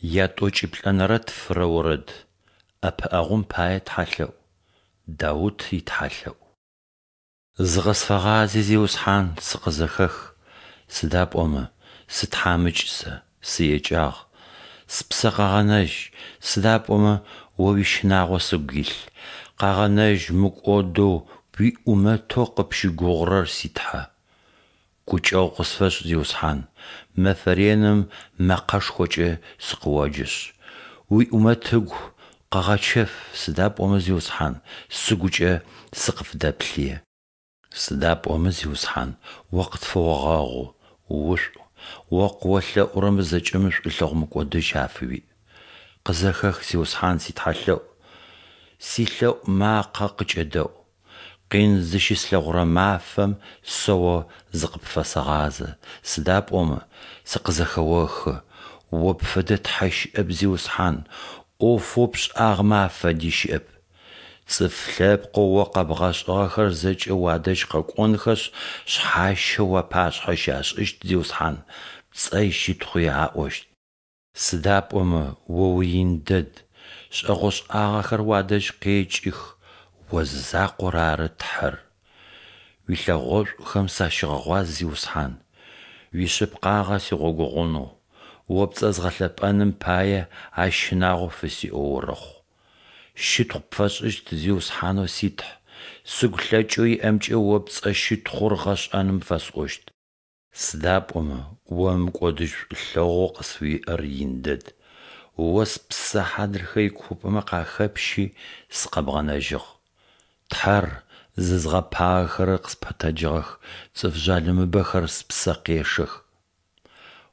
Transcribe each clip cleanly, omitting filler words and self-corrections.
Ятӏокӏиплӏэнэрэ тфырэ орэд. Ӏэпыӏэгъум пае тхьэлъэӏу. Даут итхьэлъэӏу. Зыкъысфэгъази, Зиусхьан, сыкъызэхэх, сыда пӏомэ сытхьамыкӏ сэ, сыекӏагъ. Спсэ къэгъэнэжь, сыда пӏомэ О уищынагъо сыгу илъ. Къэгъэнэжь мыкӏодэу уиӏумэтэу къыпщыгугъырэр, си Тхьэ. Гукӏэгъу къысфэшӏ, Зиусхьан, мэфэ реным мэкъэшхокӏэ сыкъыоджэшъ. Уиӏумэт ыгу къэгъэчэф, сыда пӏомэ, Зиусхьан, сыгукӏэ сыкъыфдэплъые. Сыда пӏомэ, Зиусхьан, О къытфэогъэгъу, ушӏу, О къыолъэӏурэмэ зэкӏэми шӏулъэгъу мыкӏодыжь афыуиӏ. Къызэхэх, Зиусхьан, ситхьэлъэӏу, силъэӏу макъэ къыкӏэдэӏу. Къин зыщыслъэгъурэ мафэм сэ О зыкъыпфэсэгъазэ, сыда пӏомэ сыкъызэхэохы. О пфэдэ Тхьэ щыӏэп, Зиусхьан, ӏофэу пшӏагъэмэ афэди щыӏэп. Цӏыф лъэпкъэу О къэбгъэшӏыгъэхэр зэкӏэ уадэжь къэкӏонхэшъ, шъхьащэ уапашъхьэ щашӏыщт, Зиусхьан, пцӏэ ищытхъуи аӏощт. Сыда пӏомэ О уиин дэд, шӏэгъошӏагъэхэр уадэжь къекӏых, О зызакъор ары Тхьэр. Уилъэгъошӏухэм сащыгъэгъуаз, Зиусхьан, уишъыпкъагъэ сигъогогъунэу, О пцӏэ згъэлъэпӏэным пае ащ щынагъо фысиӏэу орэхъу. Щытхъу пфэсшӏыщт, Зиусхьанэу си Тхь, сыгу лъэкӏэу иӏэмкӏэ О пцӏэ щытхъур гъэшӏэным фэсӏощт. Сыда пӏомэ О мыкӏодыжь шӏулъэгъоу къысфыуиӏэр ин дэд, О спсэ хьадрыхэ икуупӏэмэ къахэпщи, сыкъэбгъэнэжьыгъ. Тхьэр, зызгъэпагэхэрэр къыспэтэджыгъэх, цӏыф жъалымыбэхэр спсэ къешэх.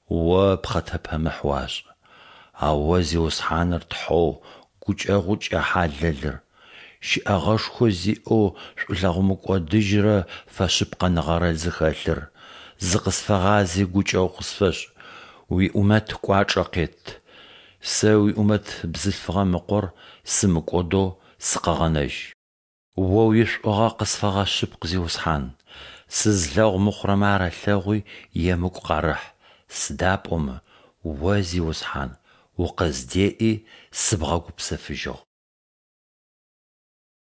О пхъэтэпэмыхь уашӏы. Ау О Зиусхьаныр Тхьэу гукӏэгъукӏэ хьалэлыр, щэӏэгъэшхо зиӏэу шӏулъэгъу мыкӏодыжьрэ фэшъыпкъэныгъэрэ зыхэлъыр, зыкъысфэгъази гукӏэгъу къысфэшӏ, уиӏумэт кӏуачӏэ къет. Сэ уиӏумэт бзылъфыгъэм ыкъор сымыкӏодэу сыкъэгъэнэжь. О уишӏугъэ къысфэгъэшъыпкъ, Зиусхьан, сызлъэгъу мыхъурэмэ арэлъэгъуи емыкӏу къарэхь, сыда пӏомэ О, Зиусхьан, укъыздеӏи, сыбгъэгупсэфыжьыгъ.